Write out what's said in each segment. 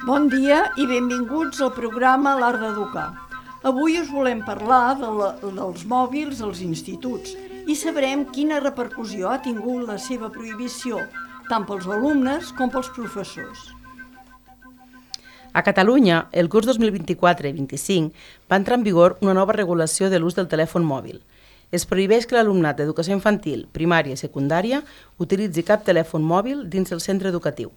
Bon dia i benvinguts al programa L'Art d'Educar. Avui us volem parlar dels mòbils als instituts i sabrem quina repercussió ha tingut la seva prohibició, tant pels alumnes com pels professors. A Catalunya, el curs 2024-25 va entrar en vigor una nova regulació de l'ús del telèfon mòbil. Es prohibeix que l'alumnat d'educació infantil, primària i secundària utilitzi cap telèfon mòbil dins el centre educatiu.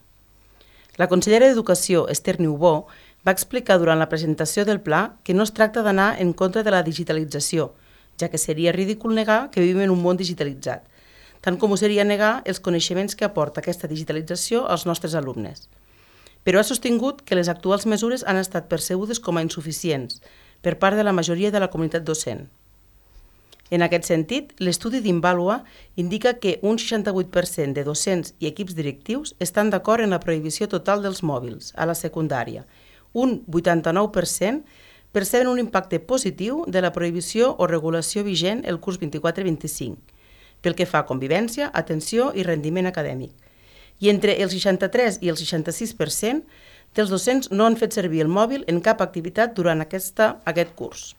La consellera d'Educació, Esther Niubó, va explicar durant la presentació del pla que no es tracta d'anar en contra de la digitalització, ja que seria ridícul negar que vivim en un món digitalitzat, tant com ho seria negar els coneixements que aporta aquesta digitalització als nostres alumnes. Però ha sostingut que les actuals mesures han estat percebudes com a insuficients per part de la majoria de la comunitat docent. En aquest sentit, l'estudi d'Invalua indica que un 68% de docents i equips directius estan d'acord en la prohibició total dels mòbils a la secundària. Un 89% perceben un impacte positiu de la prohibició o regulació vigent el curs 24-25, pel que fa a convivència, atenció i rendiment acadèmic. I entre el 63 i el 66% dels docents no han fet servir el mòbil en cap activitat durant aquest curs.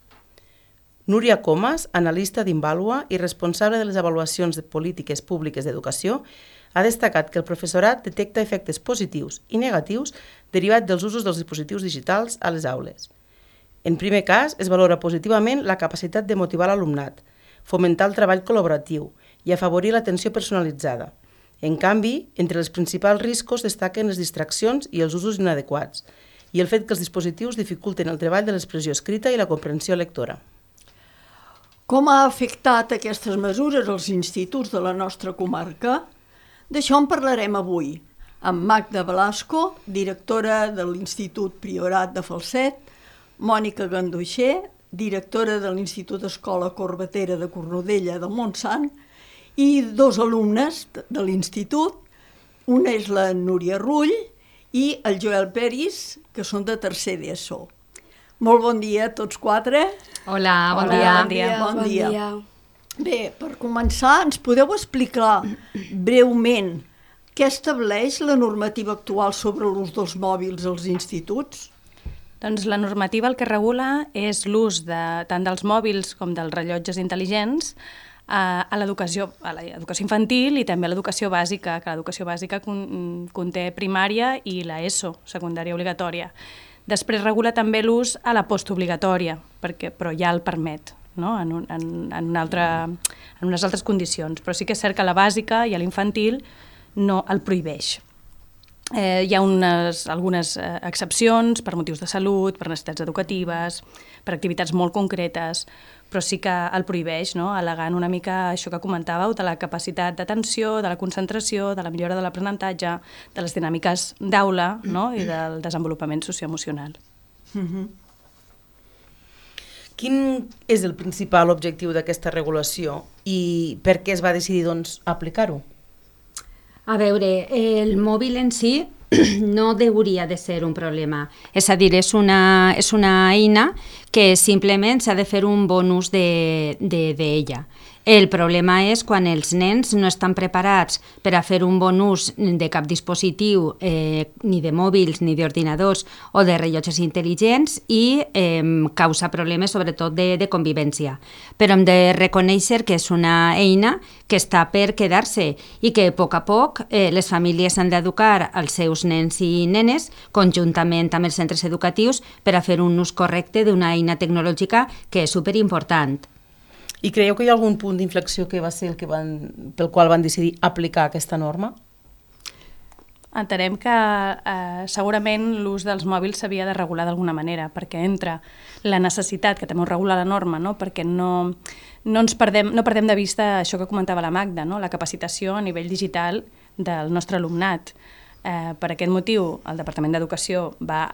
Núria Comas, analista d'Invalua i responsable de les avaluacions de polítiques públiques d'educació, ha destacat que el professorat detecta efectes positius i negatius derivats dels usos dels dispositius digitals a les aules. En primer cas, es valora positivament la capacitat de motivar l'alumnat, fomentar el treball col·laboratiu i afavorir l'atenció personalitzada. En canvi, entre els principals riscos destaquen les distraccions i els usos inadequats i el fet que els dispositius dificulten el treball de l'expressió escrita i la comprensió lectora. Com ha afectat aquestes mesures als instituts de la nostra comarca? D'això en parlarem avui, amb Magda Velasco, directora de l'Institut Priorat de Falset, Mònica Ganduixer, directora de l'Institut Escola Corbatera de Cornudella del Montsant, i dos alumnes de l'institut, una és la Núria Rull i el Joel Peris, que són de tercer d'ESO. Molt bon dia a tots quatre. Hola, bon dia. Bon dia. Bé, per començar, ens podeu explicar breument què estableix la normativa actual sobre l'ús dels mòbils als instituts? Doncs la normativa el que regula és l'ús tant dels mòbils com dels rellotges intel·ligents a l'educació infantil i també a l'educació bàsica, que l'educació bàsica conté primària i l'ESO, secundària obligatòria. Després regula també l'ús a la postobligatòria, però ja el permet, no? en unes altres condicions. Però sí que és cert que a la bàsica i a l'infantil no el prohibeix. Hi ha algunes excepcions per motius de salut, per necessitats educatives, per activitats molt concretes, però sí que el prohibeix, no? Al·legant una mica això que comentàveu, de la capacitat d'atenció, de la concentració, de la millora de l'aprenentatge, de les dinàmiques d'aula, no? I del desenvolupament socioemocional. Quin és el principal objectiu d'aquesta regulació i per què es va decidir aplicar-ho? A veure, el mòbil en si no hauria de ser un problema. És a dir, és una eina que simplement s'ha de fer un bon ús d'ella. El problema és quan els nens no estan preparats per a fer un bon ús de cap dispositiu, ni de mòbils, ni d'ordinadors o de rellotges intel·ligents i causa problemes sobretot de convivència. Però hem de reconèixer que és una eina que està per quedar-se i que a poc les famílies han d'educar els seus nens i nenes conjuntament amb els centres educatius per a fer un ús correcte d'una eina tecnològica que és superimportant. I creieu que hi ha algun punt d'inflexió que va ser pel qual van decidir aplicar aquesta norma? Entenem que segurament l'ús dels mòbils s'havia de regular d'alguna manera, perquè entra la necessitat, que també ho regula la norma, no? Perquè no perdem de vista això que comentava la Magda, no? La capacitació a nivell digital del nostre alumnat. Per aquest motiu, el Departament d'Educació va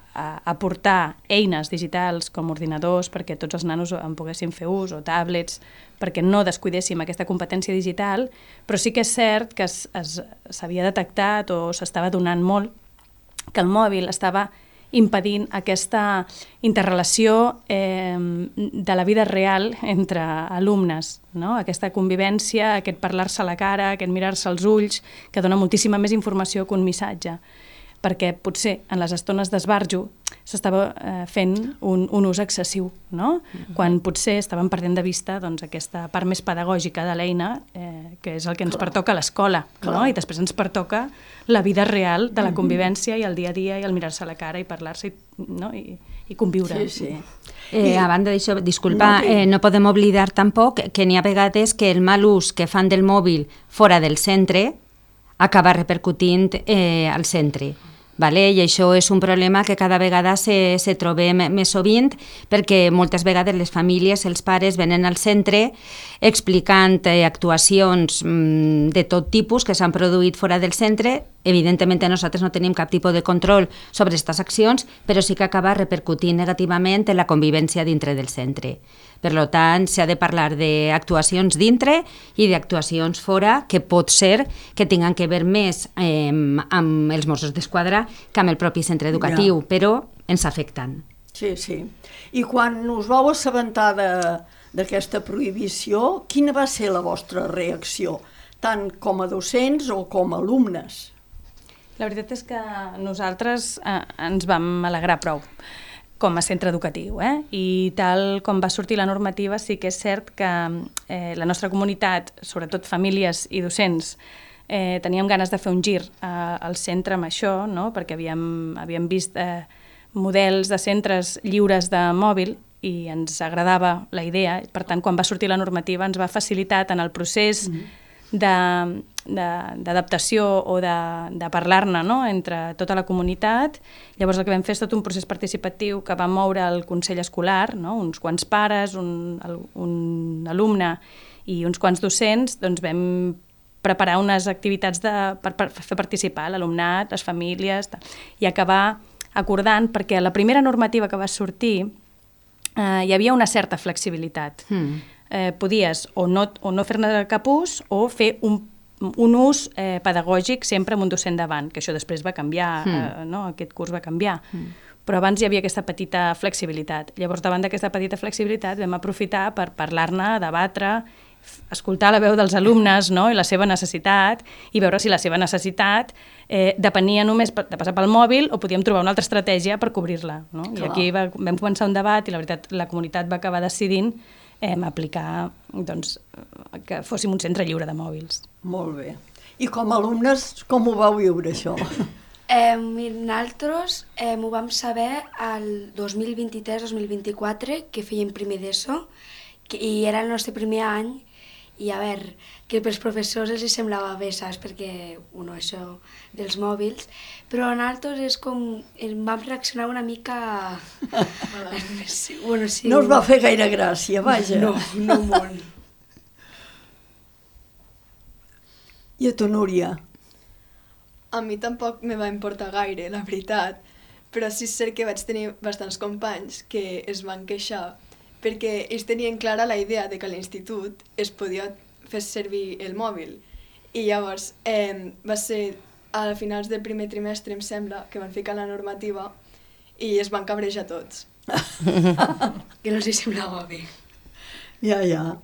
aportar eines digitals com ordinadors perquè tots els nanos en poguessin fer ús, o tablets, perquè no descuidéssim aquesta competència digital, però sí que és cert que s'havia detectat o s'estava donant molt que el mòbil estava impedint aquesta interrelació de la vida real entre alumnes, no? Aquesta convivència, aquest parlar-se a la cara, aquest mirar-se als ulls, que dona moltíssima més informació que un missatge, perquè potser en les estones d'esbarjo s'estava fent un ús excessiu, no? Quan potser estàvem perdent de vista aquesta part més pedagògica de l'eina, que és el que ens pertoca a l'escola, no? I després ens pertoca la vida real de la convivència i el dia a dia i el mirar-se a la cara i parlar-se i conviure. Sí. A banda d'això, disculpa, no podem oblidar tampoc que n'hi ha vegades que el mal ús que fan del mòbil fora del centre acaba repercutint al centre. Vale? I això és un problema que cada vegada se trobem més sovint, perquè moltes vegades les famílies, els pares, venen al centre explicant actuacions de tot tipus que s'han produït fora del centre. Evidentment nosaltres no tenim cap tipus de control sobre aquestes accions, però sí que acaba repercutint negativament en la convivència dintre del centre. Per tant, s'ha de parlar d'actuacions dintre i d'actuacions fora, que pot ser que tinguin que veure més amb els Mossos d'Esquadra que amb el propi centre educatiu, però ens afecten. Sí. I quan us vau assabentar d'aquesta prohibició, quina va ser la vostra reacció, tant com a docents o com a alumnes? La veritat és que nosaltres ens vam alegrar prou com a centre educatiu, i tal com va sortir la normativa, sí que és cert que la nostra comunitat, sobretot famílies i docents, teníem ganes de fer un gir al centre amb això, no? Perquè havíem vist models de centres lliures de mòbil i ens agradava la idea. Per tant, quan va sortir la normativa ens va facilitar en el procés d'adaptació o de parlar-ne, no? Entre tota la comunitat. Llavors el que vam fer és tot un procés participatiu que va moure el Consell Escolar, no? Uns quants pares, un alumne i uns quants docents, doncs vam preparar unes activitats per fer participar l'alumnat, les famílies, i acabar acordant, perquè la primera normativa que va sortir hi havia una certa flexibilitat. Podies o no fer-ne cap ús o fer un ús pedagògic sempre amb un docent davant, que això després va canviar, aquest curs va canviar. Però abans hi havia aquesta petita flexibilitat. Llavors, davant d'aquesta petita flexibilitat vam aprofitar per parlar-ne, debatre, escoltar la veu dels alumnes, no? I la seva necessitat, i veure si la seva necessitat depenia només de passar pel mòbil o podíem trobar una altra estratègia per cobrir-la, no? I aquí vam començar un debat i la veritat la comunitat va acabar decidint aplicar que fóssim un centre lliure de mòbils. Molt bé. I com a alumnes, com ho vau viure, això? Nosaltres ho vam saber el 2023-2024, que fèiem primer d'ESO, i era el nostre primer any, i a veure, que pels professors els semblava bé, saps, perquè, això dels mòbils, però nosaltres és com, vam reaccionar una mica... Sí. No us va fer gaire gràcia, vaja. No molt. I a tu, Núria? A mi tampoc me va importar gaire, la veritat, però sí és cert que vaig tenir bastants companys que es van queixar perquè ells tenien clara la idea de que a l'institut es podia fer servir el mòbil. I llavors va ser a finals del primer trimestre, em sembla, que van ficar la normativa i es van cabrejar tots. Que no els semblava bé. Ja.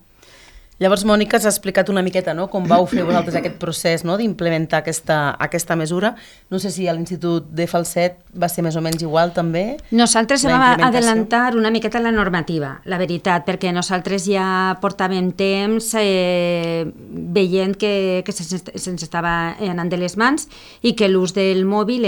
Llavors, Mònica, has explicat una miqueta, no?, com vau fer vosaltres aquest procés, no?, d'implementar aquesta mesura. No sé si a l'Institut de Falset va ser més o menys igual, també? Nosaltres vam adelantar una miqueta la normativa, la veritat, perquè nosaltres ja portàvem temps veient que se'ns estava anant de les mans i que l'ús del mòbil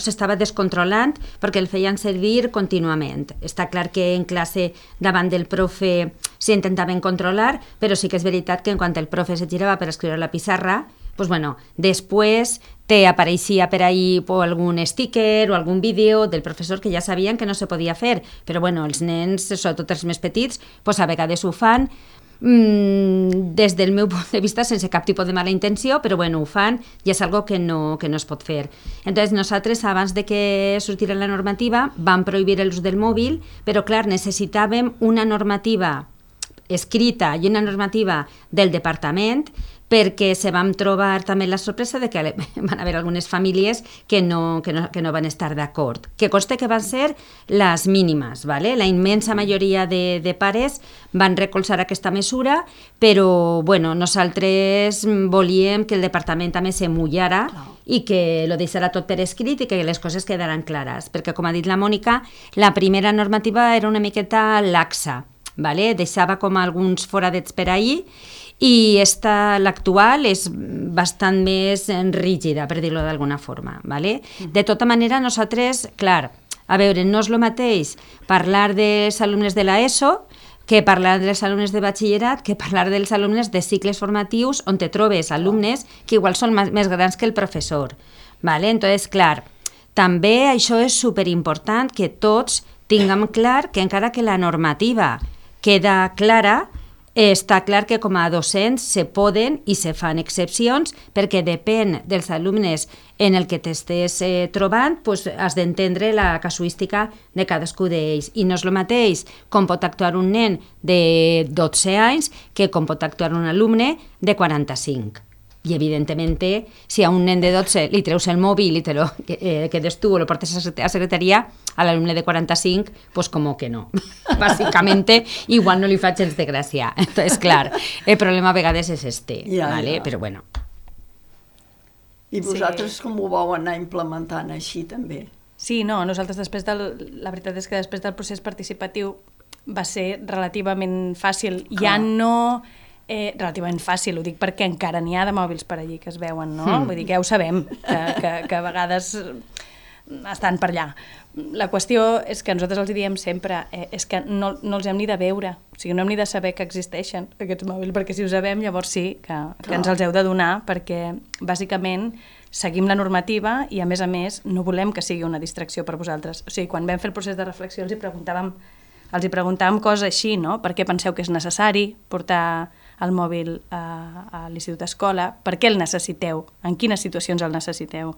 s'estava descontrolant perquè el feien servir contínuament. Està clar que en classe davant del profe s'intentaven controlar, però sí que és veritat que en quan el profe se girava per escriure a la pissarra, després apareixia per ahí algun sticker o algun vídeo del professor que ja sabien que no se podia fer, però els nens, sobretot els més petits, a vegades ho fan des del meu punt de vista sense cap tipus de mala intenció, però ho fan i és algo que no es pot fer. Entonces nosaltres, abans de que sortira la normativa, vam prohibir l'ús del mòbil, però clar, necessitàvem una normativa escrita i una normativa del departament, perquè se vam trobar també la sorpresa de que van haver algunes famílies que no van estar d'acord. Que conste que van ser les mínimes, ¿vale? La immensa majoria de pares van recolzar aquesta mesura, però bueno, nosaltres volíem que el departament també se mullara i que lo deixara tot per escrit i que les coses quedaran clares, perquè com ha dit la Mònica, la primera normativa era una miqueta laxa, ¿vale? Deixava com alguns foradets per ahí, i l'actual és bastant més rígida, per dir-ho d'alguna forma. ¿Vale? De tota manera, nosaltres, clar, a veure, no és el mateix parlar dels alumnes de l'ESO que parlar dels alumnes de batxillerat, que parlar dels alumnes de cicles formatius on te trobes alumnes que igual són més grans que el professor. ¿Vale? Entonces, clar, també això és superimportant que tots tinguem clar que encara que la normativa queda clara, està clar que com a docents se poden i se fan excepcions perquè depèn dels alumnes en el que t'estés trobant, doncs has d'entendre la casuística de cadascú d'ells. I no és el mateix com pot actuar un nen de 12 anys que com pot actuar un alumne de 45. I, evidentment, si a un nen de 12 li treus el mòbil i te lo quedes tu o lo portes a secretaria, a l'alumne de 45, pues como que no. Bàsicament, igual no li fa gens de gràcia. Entonces, clar, el problema a vegades és ¿vale? Però bueno. I vosaltres com ho vau anar implementant així, també? Sí, no, nosaltres la veritat és que després del procés participatiu va ser relativament fàcil. Ja no... relativament fàcil, ho dic perquè encara n'hi ha de mòbils per allí que es veuen, no? Vull dir que ja ho sabem, que a vegades estan per allà. La qüestió és que nosaltres els diem sempre, és que no els hem ni de veure, o sigui, no hem ni de saber que existeixen aquests mòbils, perquè si ho sabem llavors sí que ens els heu de donar, perquè bàsicament seguim la normativa i a més no volem que sigui una distracció per vosaltres. O sigui, quan vam fer el procés de reflexió els hi preguntàvem coses així, no? Per què penseu que és necessari portar el mòbil a l'institut escola? Per què el necessiteu? En quines situacions el necessiteu?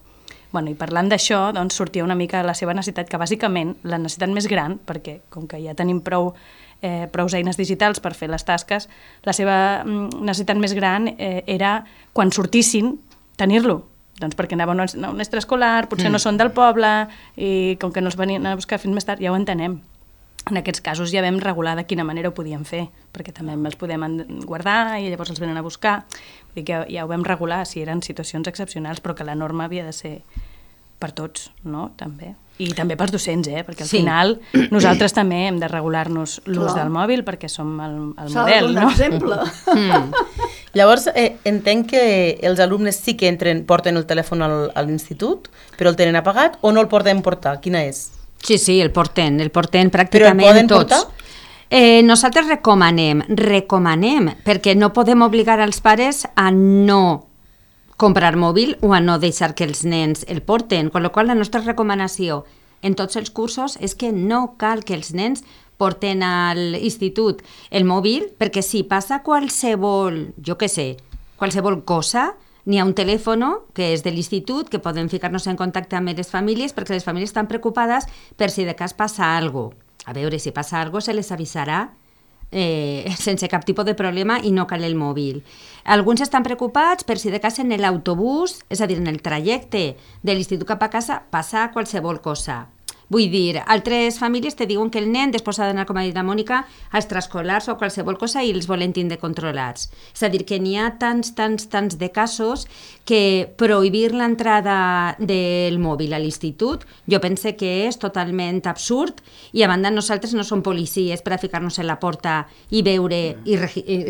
Bueno, i parlant d'això, doncs sortia una mica la seva necessitat, que bàsicament la necessitat més gran, perquè com que ja tenim prou eines digitals per fer les tasques, la seva necessitat més gran era, quan sortissin, tenir-lo. Doncs perquè anaven a un extraescolar, potser no són del poble, i com que no els venien a buscar fins més tard, ja ho entenem. En aquests casos ja vam regular de quina manera ho podíem fer, perquè també els podem guardar i llavors els venen a buscar. Vull dir que ja ho vam regular si eren situacions excepcionals, però que la norma havia de ser per tots, no? També. I també pels docents, perquè al final nosaltres també hem de regular-nos l'ús del mòbil perquè som el model, no? S'ha de donar exemple. Llavors, entenc que els alumnes sí que porten el telèfon a l'institut, però el tenen apagat o no el porten portar? Quina és? Sí, el porten pràcticament tots. Portar? Nosaltres recomanem, perquè no podem obligar als pares a no comprar mòbil o a no deixar que els nens el porten, amb la qual cosa la nostra recomanació en tots els cursos és que no cal que els nens porten a l'institut el mòbil, perquè si passa qualsevol cosa, n'hi ha un telèfon que és de l'institut, que podem ficar-nos en contacte amb les famílies, perquè les famílies estan preocupades per si de cas passa alguna cosa. A veure, si passa alguna cosa se les avisarà sense cap tipus de problema i no cal el mòbil. Alguns estan preocupats per si de cas en l'autobús, és a dir, en el trajecte de l'institut cap a casa, passa qualsevol cosa. Vull dir, altres famílies te diuen que el nen després ha d'anar, com ha dit la Mònica, a extraescolars o qualsevol cosa i els volen tindre controlats. És a dir, que n'hi ha tants de casos que prohibir l'entrada del mòbil a l'institut jo pense que és totalment absurd i a banda nosaltres no som policies per a ficar-nos en la porta i veure i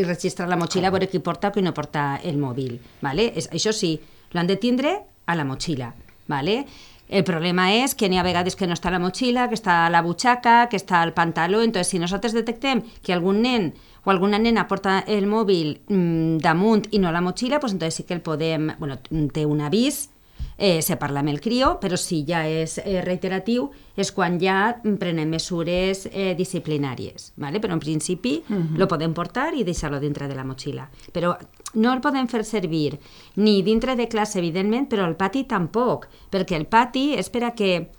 registrar la motxilla, veure qui porta o qui no porta el mòbil. ¿Vale? Això sí, l'han de tindre a la motxilla. ¿Vale? El problema és que n'hi ha vegades que no està a la motxilla, que està a la butxaca, que està al pantaló. Entonces, si nosaltres detectem que algun nen o alguna nena porta el mòbil damunt i no a la motxilla, pues entonces sí que el podem... Bueno, té un avís, se parla amb el crió, però si ja és reiteratiu és quan ja prenem mesures disciplinàries. ¿Vale? Però en principi lo podem portar i deixar-lo dintre de la motxilla. Però no el podem fer servir ni dintre de classe, evidentment, però al pati tampoc, perquè el pati és per a que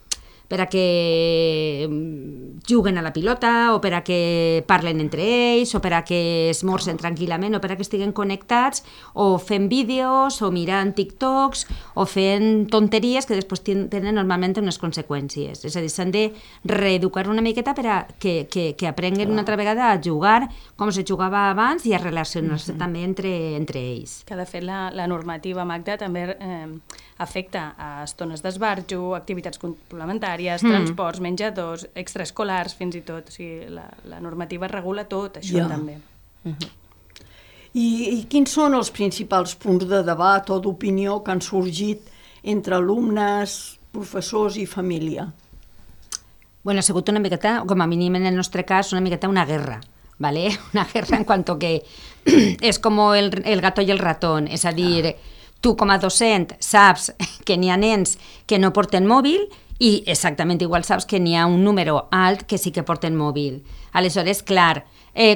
per a que juguen a la pilota, o per a que parlen entre ells, o per a que esmorcen tranquil·lament, o per a que estiguen connectats, o fent vídeos, o mirant TikToks, o fent tonteries que després tenen normalment unes conseqüències. És a dir, s'han de reeducar una miqueta per a que aprenguen una altra vegada a jugar com se jugava abans i a relacionar-se també entre ells. Que, de fet, la normativa, Magda, també afecta a estones d'esbarjo, activitats complementàries, transports, menjadors, extraescolars, fins i tot. O sigui, la normativa regula tot això també. I quins són els principals punts de debat o d'opinió que han sorgit entre alumnes, professors i família? Bueno, ha sigut una miqueta, com a mínim en el nostre cas, una miqueta una guerra. ¿Vale? Una guerra en cuanto que és com el gato i el ratón, és a dir, tu com a docent saps que n'hi ha nens que no porten mòbil i exactament igual saps que n'hi ha un número alt que sí que porten mòbil. Aleshores, clar,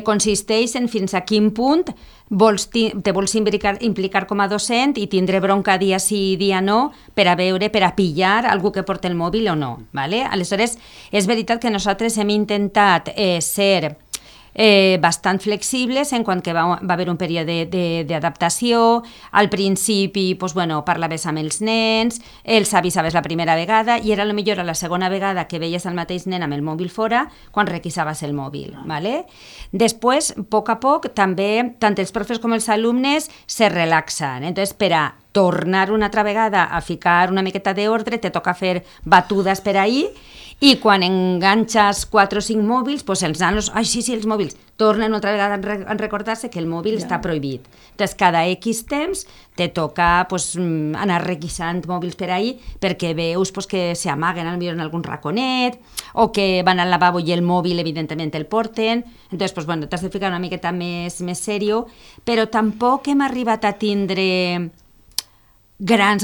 consisteix en fins a quin punt te vols implicar com a docent i tindre bronca dia sí i dia no per a veure, per a pillar algú que porta el mòbil o no. ¿Vale? Aleshores, és veritat que nosaltres hem intentat ser bastant flexibles en quant que va haver un període d'adaptació. Al principi parlaves amb els nens, els avisaves la primera vegada i era potser la segona vegada que veies el mateix nen amb el mòbil fora quan requisaves el mòbil. ¿Vale? Després, a poc, també tant els professors com els alumnes se relaxen. Entonces, per a tornar una altra vegada a ficar una miqueta d'ordre, te toca fer batudes per ahí. I quan enganxes 4 o 5 mòbils, els nanos, sí, els mòbils, tornen una altra vegada a recordar-se que el mòbil està prohibit. Entonces, cada X temps te toca anar requisant mòbils per ahí perquè veus que s'amaguen potser en algun raconet o que van al lavabo i el mòbil, evidentment, el porten. Entonces, t'has de ficar una miqueta més serio, però tampoc hem arribat a tindre grans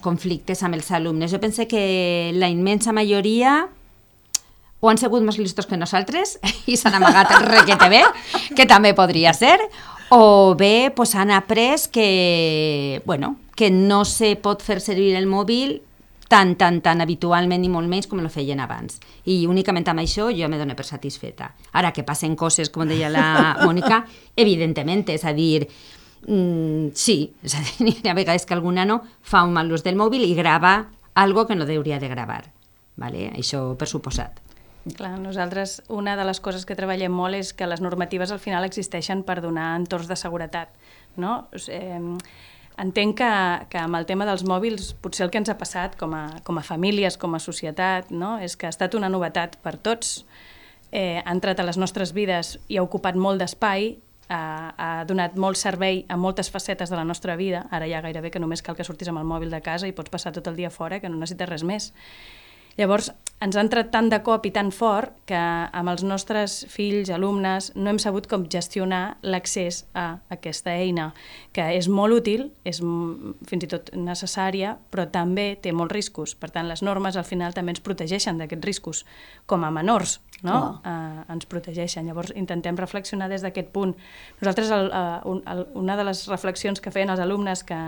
conflictes amb els alumnes. Jo penso que la immensa majoria o han sigut més listos que nosaltres i s'han amagat requete bé, que també podria ser, o bé han après que no se pot fer servir el mòbil tan habitualment i molt menys com ho feien abans. I únicament amb això jo me dono per satisfeta. Ara que passen coses, com deia la Mònica, evidentment, és a dir, sí, és a dir, hi ha vegades que algun nano fa un mal ús del mòbil i grava algo que no hauria de gravar. ¿Vale? Això per suposat. Clar, nosaltres una de les coses que treballem molt és que les normatives al final existeixen per donar entorns de seguretat, no? Entenc que amb el tema dels mòbils potser el que ens ha passat com a famílies, com a societat, no? És que ha estat una novetat per tots, ha entrat a les nostres vides i ha ocupat molt d'espai, ha donat molt servei a moltes facetes de la nostra vida. Ara ja gairebé que només cal que surtis amb el mòbil de casa i pots passar tot el dia fora, que no necessites res més. Llavors, ens ha entrat tant de cop i tan fort que amb els nostres fills, alumnes, no hem sabut com gestionar l'accés a aquesta eina, que és molt útil, és fins i tot necessària, però també té molts riscos. Per tant, les normes al final també ens protegeixen d'aquests riscos, com a menors, no? Ens protegeixen. Llavors, intentem reflexionar des d'aquest punt. Nosaltres, una de les reflexions que feien els alumnes que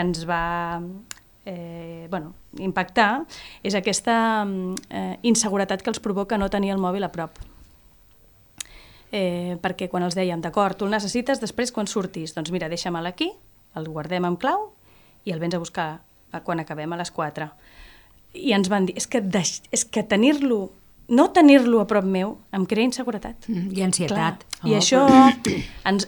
ens va impactar és aquesta inseguretat que els provoca no tenir el mòbil a prop. Perquè quan els dèiem, d'acord, tu el necessites després quan surtis, doncs mira, deixa'm-el aquí, el guardem amb clau i el vens a buscar quan acabem a les 4. I ens van dir, és que tenir-lo, no tenir-lo a prop meu em crea inseguretat. I ansietat. I això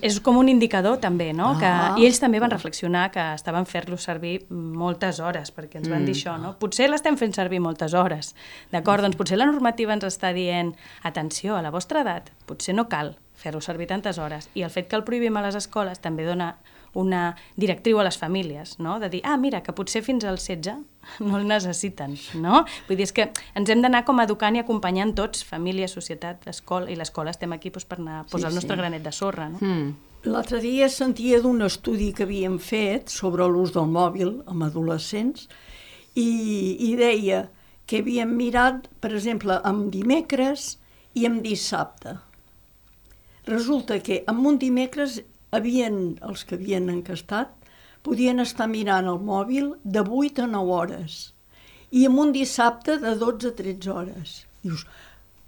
és com un indicador també, no? I ells també van reflexionar que estaven fent-lo servir moltes hores, perquè ens van dir això, no? Potser l'estem fent servir moltes hores, d'acord? Doncs potser la normativa ens està dient, atenció, a la vostra edat, potser no cal fer-lo servir tantes hores. I el fet que el prohibim a les escoles també dona una directriu a les famílies, no? De dir, mira, que potser fins als 16 no el necessiten, no? Vull dir, és que ens hem d'anar com educant i acompanyant tots, família, societat, escola, i l'escola estem aquí per anar a posar el nostre granet de sorra, no? L'altre dia sentia d'un estudi que havíem fet sobre l'ús del mòbil amb adolescents i deia que havíem mirat, per exemple, amb dimecres i amb dissabte. Resulta que amb un dimecres els que havien encastat podien estar mirant el mòbil de 8 a 9 hores i en un dissabte de 12 a 13 hores. Dius,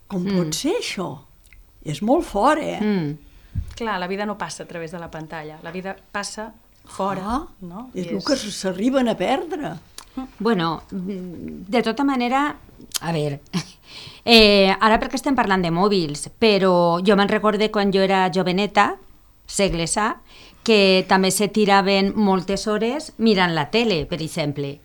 com pot ser això? És molt fort, Clar, la vida no passa a través de la pantalla, la vida passa fora. No? És el que s'arriben a perdre. Bueno, de tota manera, a veure, ara perquè estem parlant de mòbils, però jo me'n recorde quan jo era joveneta, segles A, que també se tiraven moltes hores mirant la tele, per exemple.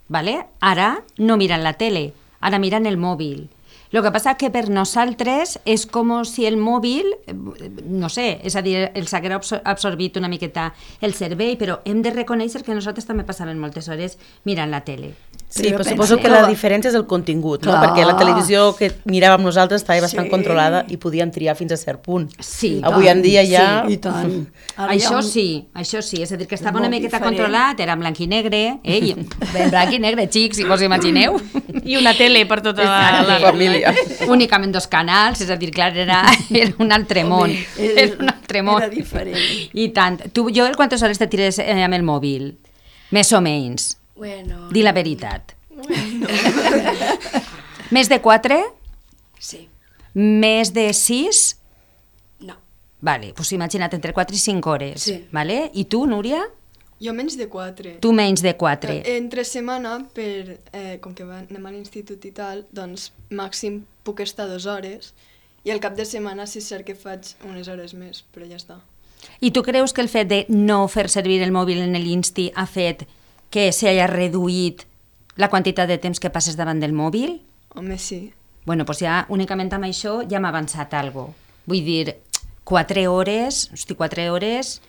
¿Vale? Ara no miran la tele, ara miran el mòbil. Lo que passa que per nosaltres és com si el mòbil, no sé, és a dir, els haguera absorbit una miqueta el cervell, però hem de reconèixer que nosaltres també passàvem moltes hores mirant la tele. Sí, però suposo que la diferència és el contingut, no? Perquè la televisió que miràvem nosaltres estava bastant controlada i podíem triar fins a cert punt. Sí, avui en dia ja... Sí, i tant. Això sí, és a dir, que estava una miqueta controlat, era en blanc i negre, en blanc i negre, xics, si vos imagineu. I una tele per tota la família. Únicament 2 canals, és a dir, clar, era un altre món. Era un altre món. Era diferent. I tant. Tu, Joel, quantes hores te tires amb el mòbil? Més o menys. Bueno... Di la veritat. Més de 4? Sí. Més de 6? No. Vale, doncs imagina't, entre 4 i 5 hores. Sí. Vale? I tu, Núria? Jo menys de 4. Tu menys de 4. Entre setmana, com que anem a l'institut i tal, doncs màxim puc estar 2 hores i al cap de setmana sí cert que faig unes hores més, però ja està. I tu creus que el fet de no fer servir el mòbil en l'Insti ha fet que s'hagi reduït la quantitat de temps que passes davant del mòbil? Home, sí. Bueno, doncs ja únicament amb això ja m'ha avançat alguna cosa. Vull dir, 4 hores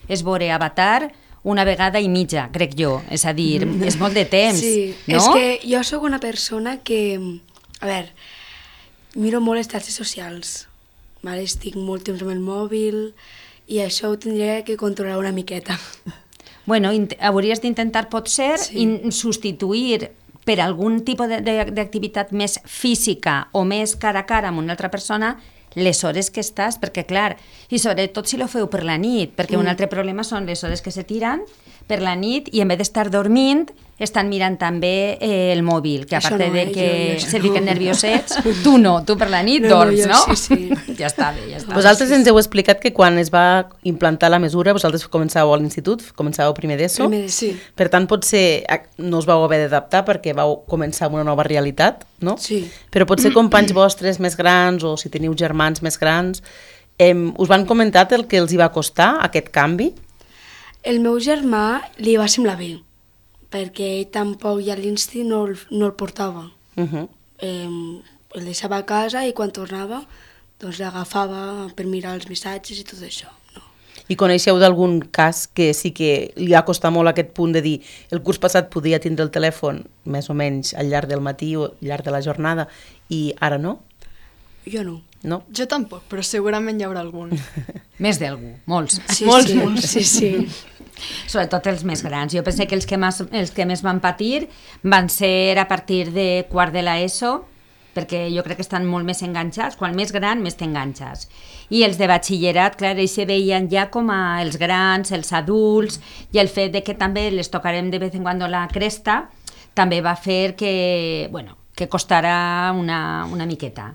és veure Avatar una vegada i mitja, crec jo. És a dir, és molt de temps, sí, no? És que jo sóc una persona que, a veure, miro molt les xarxes socials, vale? Estic molt temps amb el mòbil i això ho tindria que controlar una miqueta. Bueno, hauries d'intentar, potser, substituir per algun tipus d'activitat més física o més cara a cara amb una altra persona les hores que estàs, perquè clar, i sobretot si lo feu per la nit, perquè un altre problema són les hores que se tiren per la nit i en vez d'estar dormint estan mirant també el mòbil, que a part de que se fiquen nerviosets, tu no, tu per la nit dorms, no? Sí. Ja està bé, ja està. Vosaltres ens heu explicat que quan es va implantar la mesura, vosaltres començàveu a l'institut, començàveu primer d'ESO, Sí. per tant potser no us vau haver d'adaptar perquè vau començar amb una nova realitat, no? Sí. Però potser companys vostres més grans o si teniu germans més grans, us van comentar el que els hi va costar aquest canvi? El meu germà li va semblar bé, perquè ell tampoc ja a l'Insti no el portava. El deixava a casa i quan tornava doncs l'agafava per mirar els missatges i tot això. No. I coneixeu d'algun cas que sí que li ha costat molt aquest punt de dir el curs passat podia tindre el telèfon més o menys al llarg del matí o al llarg de la jornada i ara no? Jo no. No? Jo tampoc, però segurament hi haurà algun. Més d'algú, molts. Sí, molts. Sí. Sobretot els més grans. Jo penso que els que més van patir van ser a partir de quart de l'ESO, perquè jo crec que estan molt més enganxats. Quan més gran, més t'enganxes. I els de batxillerat, clar, ells se veien ja com a els grans, els adults, i el fet de que també les tocarem de vez en quan la cresta també va fer que, bueno, que costarà una miqueta.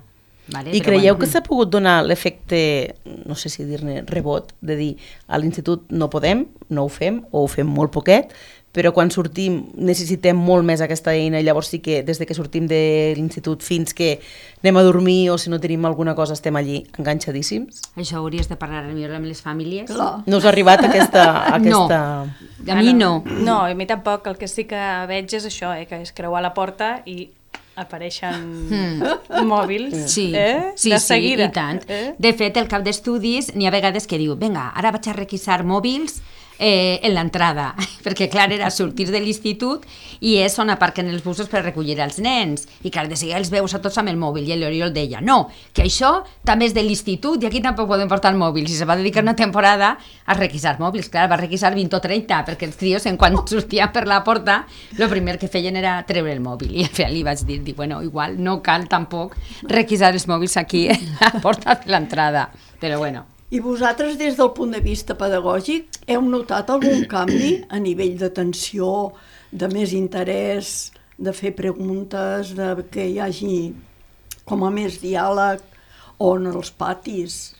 Vale? I creieu que s'ha pogut donar l'efecte, no sé si dir-ne rebot, de dir a l'institut no podem, no ho fem, o ho fem molt poquet, però quan sortim necessitem molt més aquesta eina i llavors sí que des de que sortim de l'institut fins que anem a dormir o si no tenim alguna cosa estem allí enganxadíssims? Això hauries de parlar millor amb les famílies. Clar. No us ha arribat aquesta... No, a mi no. No, a mi tampoc. El que sí que veig és això, que és creuar la porta i apareixen mòbils de seguida. I tant. De fet, el cap d'estudis n'hi ha vegades que diu vinga, ara vaig a requisar mòbils en l'entrada, perquè clar, era sortir de l'institut i és on aparquen els busos per recollir els nens, i clar, de seguida els veus a tots amb el mòbil, i l'Oriol deia, no, que això també és de l'institut i aquí tampoc podem portar mòbils, i se va dedicar una temporada a requisar mòbils, clar, va requisar 20 o 30, perquè els crios, quan sortien per la porta, el primer que feien era treure el mòbil, i al final li vaig dir, bueno, igual no cal tampoc requisar els mòbils aquí a la porta de l'entrada, però bueno. I vosaltres, des del punt de vista pedagògic, heu notat algun canvi a nivell d'atenció, de més interès de fer preguntes, de que hi hagi com a més diàleg o en els patis.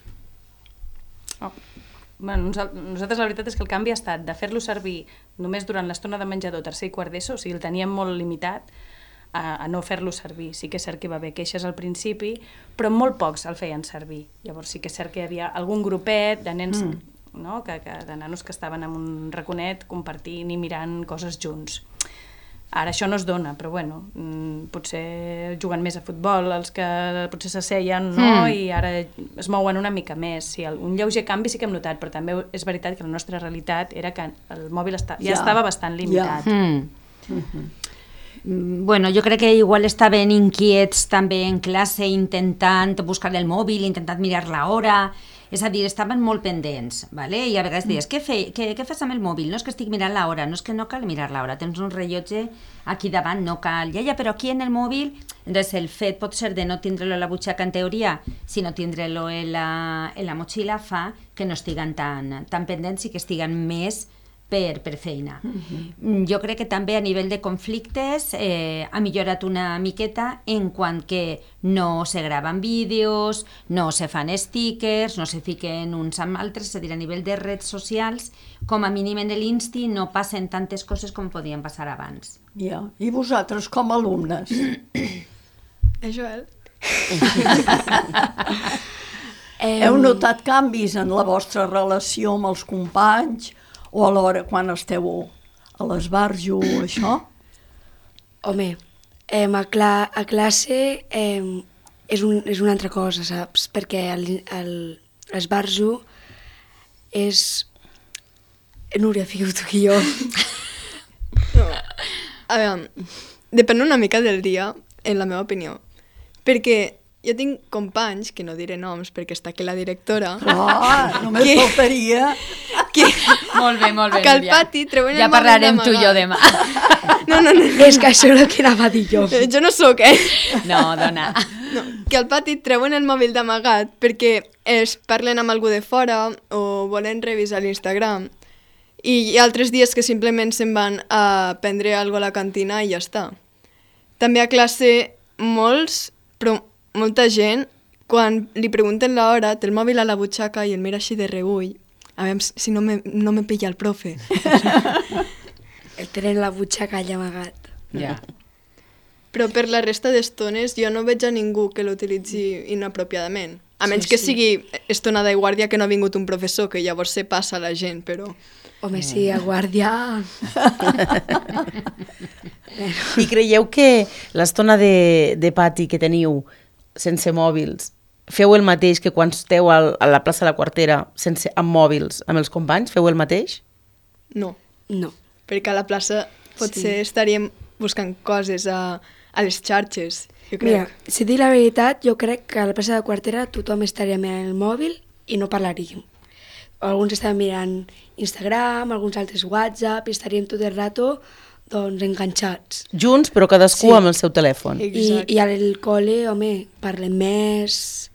Bueno, nosaltres la veritat és que el canvi ha estat de fer-lo servir només durant l'estona de menjador, tercer i quart d'ESO, o sigui, el teníem molt limitat a no fer-lo servir. Sí que és cert que hi va haver queixes al principi, però molt pocs el feien servir. Llavors sí que és cert que hi havia algun grupet de nens, no? de nanos que estaven en un raconet compartint i mirant coses junts. Ara això no es dona, però bueno, potser juguen més a futbol els que potser s'asseien, no? I ara es mouen una mica més. Sí, un lleuger canvi sí que hem notat, però també és veritat que la nostra realitat era que el mòbil ja estava bastant limitat. Bueno, jo crec que igual estaven inquiets també en classe intentant buscar el mòbil, intentant mirar l'hora. És a dir, estaven molt pendents, ¿vale? I a vegades dius, què fas amb el mòbil? No és que estic mirant l'hora, no és que no cal mirar l'hora, tens un rellotge aquí davant, no cal, ja, però aquí en el mòbil, entonces el fet pot ser de no tindre-lo a la butxaca en teoria, sinó tindre-lo en la motxilla fa que no estiguen tan pendents i que estiguen més per feina. Jo crec que també a nivell de conflictes ha millorat una miqueta en quant que no se graven vídeos, no se fan stickers, no se fiquen uns amb altres, és a dir, a nivell de redes socials, com a mínim en l'Insti no passen tantes coses com podien passar abans. Ja. I vosaltres, com a alumnes? Joel? Heu notat canvis en la vostra relació amb els companys o a l'hora quan esteu a l'esbarjo o això? Home, a classe és una altra cosa, saps? Perquè l'esbarjo és... Núria, fica-ho tu i jo. No. A veure, depèn una mica del dia, en la meva opinió. Perquè jo tinc companys, que no diré noms perquè està aquí la directora... Només faltaria... Molt bé, que al pati treuen el mòbil d'amagat. Ja parlarem tu i jo demà. No. És que això és el que anava a dir jo. Jo no sóc, No, dona. No, que al pati treuen el mòbil d'amagat perquè es parlen amb algú de fora o volen revisar l'Instagram. I hi ha altres dies que simplement se'n van a prendre alguna cosa a la cantina i ja està. També a classe molta gent, quan li pregunten l'hora, té el mòbil a la butxaca i el mira així de reüll. A veure si no me pilla el profe. El tenen la butxaca allà amagat. Ja. Però per la resta d'estones jo no veig a ningú que l'utilitzi inapropiadament. A menys que sigui estonada i guàrdia que no ha vingut un professor, que llavors se passa a la gent, però... Home, sí, a guàrdia... I creieu que l'estona de pati que teniu sense mòbils feu el mateix que quan esteu a la plaça de la Quartera amb mòbils amb els companys? Feu el mateix? No. No. Perquè a la plaça potser estaríem buscant coses a les xarxes, jo crec. Mira, si dic la veritat, jo crec que a la plaça de Quartera tothom estaria mirant el mòbil i no parlaríem. Alguns estaven mirant Instagram, alguns altres WhatsApp, i estaríem tot el rato doncs, enganxats. Junts, però cadascú amb el seu telèfon. I al col·le, home, parlem més...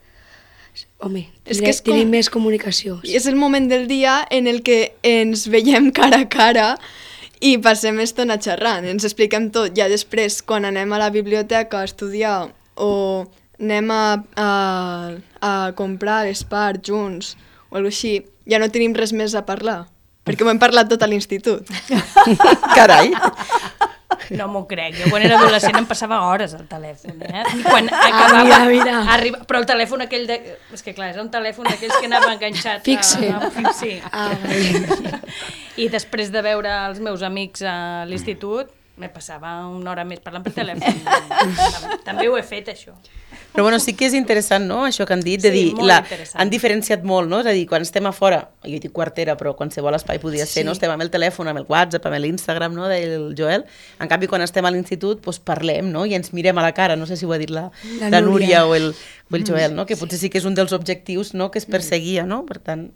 Home, tenim més comunicació. I és el moment del dia en el que ens veiem cara a cara i passem estona xerrant, ens expliquem tot. Ja després, quan anem a la biblioteca a estudiar o anem a comprar a l'Espar junts o alguna cosa així, ja no tenim res més a parlar, perquè ho hem parlat tot a l'institut. Carai! No m'ho crec. Jo quan era adolescent em passava hores al telèfon, I quan acabava... Mira. Però el telèfon aquell de... És que clar, era un telèfon d'aquells que anava enganxat. Fixe. Sí. I després de veure els meus amics a l'institut, me passava una hora més parlant per telèfon. També ho he fet, això. Però bueno, sí que és interessant, no?, això que han dit, de dir, han diferenciat molt, no?, és a dir, quan estem a fora, jo dic Quartera, però qualsevol espai podia ser, no?, estem amb el telèfon, amb el WhatsApp, amb l'Instagram, no?, del Joel, en canvi, quan estem a l'institut, doncs parlem, no?, i ens mirem a la cara, no sé si ho ha dit la Núria o el Joel, no?, que potser sí que és un dels objectius, no?, que es perseguia, no?, per tant,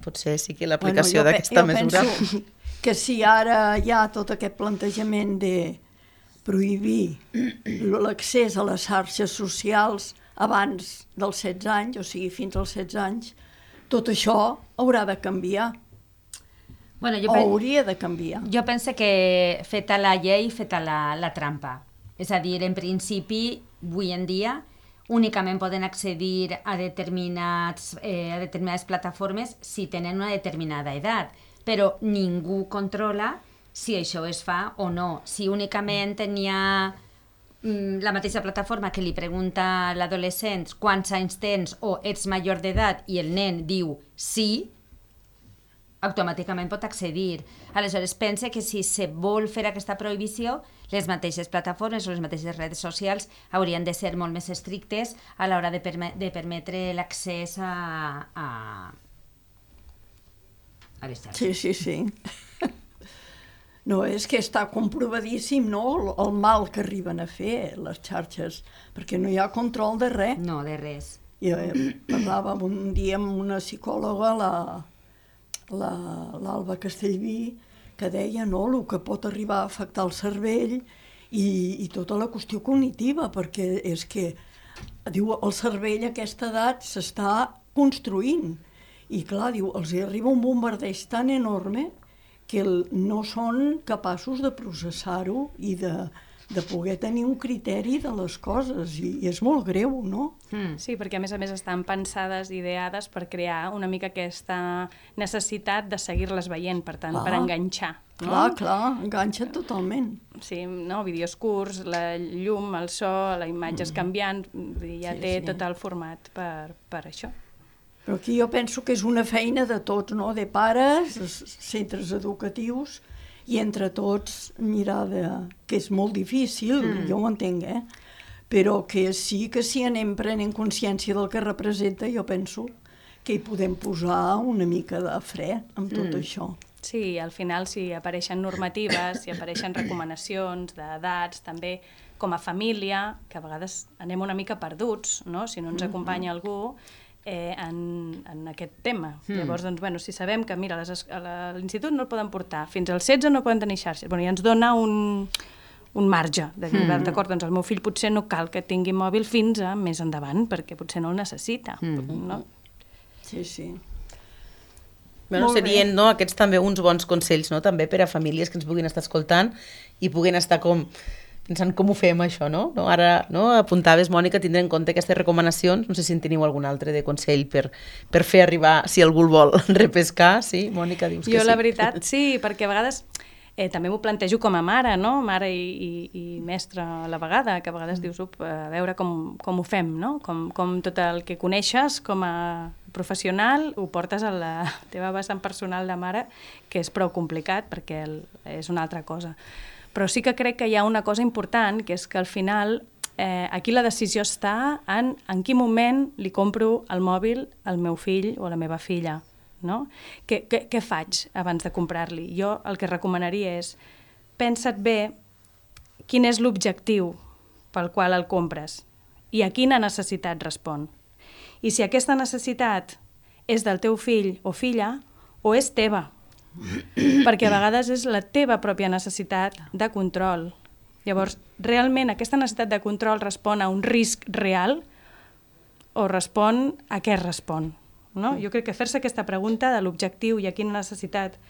potser sí que l'aplicació d'aquesta mesura... Jo penso que si ara hi ha tot aquest plantejament de prohibir l'accés a les xarxes socials abans dels 16 anys, o sigui, fins als 16 anys, tot això haurà de canviar. Bueno, hauria de canviar. Jo penso que feta la llei, feta la trampa. És a dir, en principi, avui en dia, únicament poden accedir a determinades plataformes si tenen una determinada edat, però ningú controla si això es fa o no. Si únicament tenia la mateixa plataforma que li pregunta a l'adolescent quants anys tens o ets major d'edat i el nen diu sí, automàticament pot accedir. Aleshores, pense que si se vol fer aquesta prohibició, les mateixes plataformes o les mateixes redes socials haurien de ser molt més estrictes a l'hora de permetre l'accés a les xarxes. Sí. No, és que està comprovadíssim, no?, el mal que arriben a fer les xarxes, perquè no hi ha control de res. No, de res. I parlàvem un dia amb una psicòloga, l'Alba Castellví, que deia, no?, el que pot arribar a afectar el cervell i tota la qüestió cognitiva, perquè és que, diu, el cervell a aquesta edat s'està construint. I clar, diu, els hi arriba un bombardeig tan enorme que no són capaços de processar-ho i de poder tenir un criteri de les coses, i és molt greu, no? Sí, perquè a més estan pensades, ideades per crear una mica aquesta necessitat de seguir-les veient, per tant, per enganxar. No? Clar, enganxa totalment. Sí, no? Vídeos curts, la llum, el so, la imatge és canviant, ja té tot el format per això. Però aquí jo penso que és una feina de tots, no?, de pares, centres educatius, i entre tots mirar que és molt difícil, jo ho entenc, però que sí que si anem prenent consciència del que representa, jo penso que hi podem posar una mica de fre amb tot això. Sí, al final si apareixen normatives, si apareixen recomanacions d'edats, també com a família, que a vegades anem una mica perduts, no?, si no ens acompanya algú, en aquest tema. Llavors, doncs, bueno, si sabem que, mira, a l'institut no el poden portar, fins als 16 no poden tenir xarxes, bueno, ja ens dona un marge de dir, d'acord, doncs el meu fill potser no cal que tingui mòbil fins a més endavant, perquè potser no el necessita, no? Sí. Bueno, serien, no, aquests també uns bons consells, no?, també per a famílies que ens puguin estar escoltant i puguin estar pensant com ho fem, això, no? Ara, no, apuntaves, Mònica, tindre en compte aquestes recomanacions. No sé si en teniu algun altre de consell per fer arribar, si algú el vol repescar. Sí, Mònica, dius que sí. Jo, la veritat, sí, perquè a vegades també m'ho plantejo com a mare, no? Mare i mestra a la vegada, que a vegades dius, a veure com ho fem, no? Com tot el que coneixes com a professional ho portes a la teva vessant personal de mare, que és prou complicat perquè és una altra cosa. Però sí que crec que hi ha una cosa important, que és que al final aquí la decisió està en quin moment li compro el mòbil al meu fill o a la meva filla, no? Què faig abans de comprar-li? Jo el que recomanaria és, pensa't bé quin és l'objectiu pel qual el compres i a quina necessitat respon. I si aquesta necessitat és del teu fill o filla o és teva, perquè a vegades és la teva pròpia necessitat de control. Llavors, realment aquesta necessitat de control respon a un risc real o respon a què respon? No? Jo crec que fer-se aquesta pregunta de l'objectiu i a quina necessitat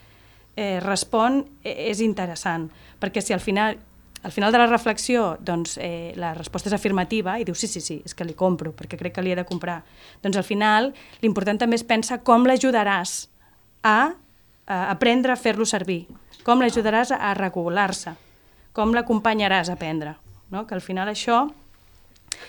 respon és interessant, perquè si al final de la reflexió doncs, la resposta és afirmativa i dius sí, és que li compro perquè crec que li he de comprar, doncs al final l'important també és pensar com l'ajudaràs a aprendre a fer-lo servir, com l'ajudaràs a regular-se, com l'acompanyaràs a aprendre, no? Que al final això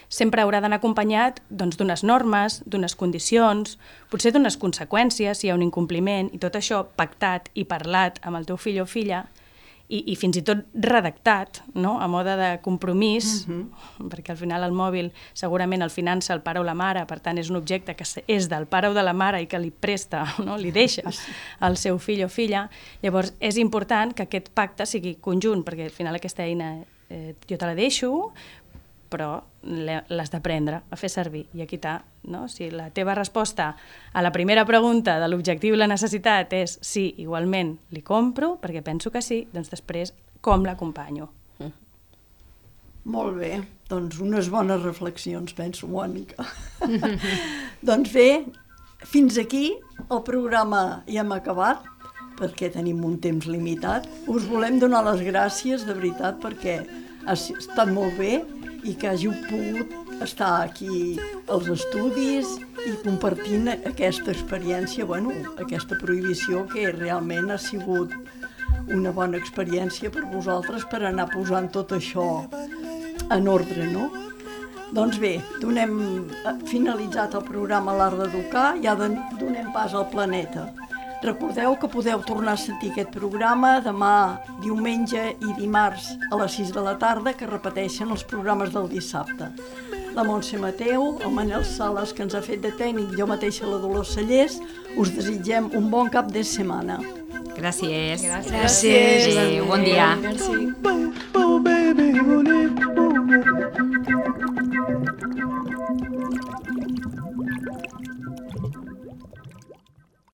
sempre haurà d'anar acompanyat d'unes normes, d'unes condicions, potser d'unes conseqüències si hi ha un incompliment, i tot això pactat i parlat amb el teu fill o filla i fins i tot redactat, no? A mode de compromís, perquè al final el mòbil segurament el finança el pare o la mare, per tant és un objecte que és del pare o de la mare i que li presta, no? Li deixa al seu fill o filla. Llavors és important que aquest pacte sigui conjunt, perquè al final aquesta eina jo te la deixo, però l'has d'aprendre a fer servir. I aquí està, no? Si la teva resposta a la primera pregunta de l'objectiu i la necessitat és sí, igualment li compro, perquè penso que sí, doncs després com l'acompanyo. Molt bé, doncs unes bones reflexions, penso, Mònica. Doncs bé, fins aquí el programa ja hem acabat, perquè tenim un temps limitat. Us volem donar les gràcies, de veritat, perquè ha estat molt bé i que hàgiu pogut estar aquí als estudis i compartint aquesta experiència, aquesta prohibició que realment ha sigut una bona experiència per vosaltres per anar posant tot això en ordre, no? Doncs bé, donem finalitzat el programa L'Art d'Educar, ja donem pas al planeta. Recordeu que podeu tornar a sentir aquest programa demà, diumenge i dimarts a les 6 de la tarda, que repeteixen els programes del dissabte. La Montse Mateu, el Manel Sales, que ens ha fet de tècnic, jo mateixa la Dolors Cellers, us desitgem un bon cap de setmana. Gràcies. Gràcies. Bon dia. Merci.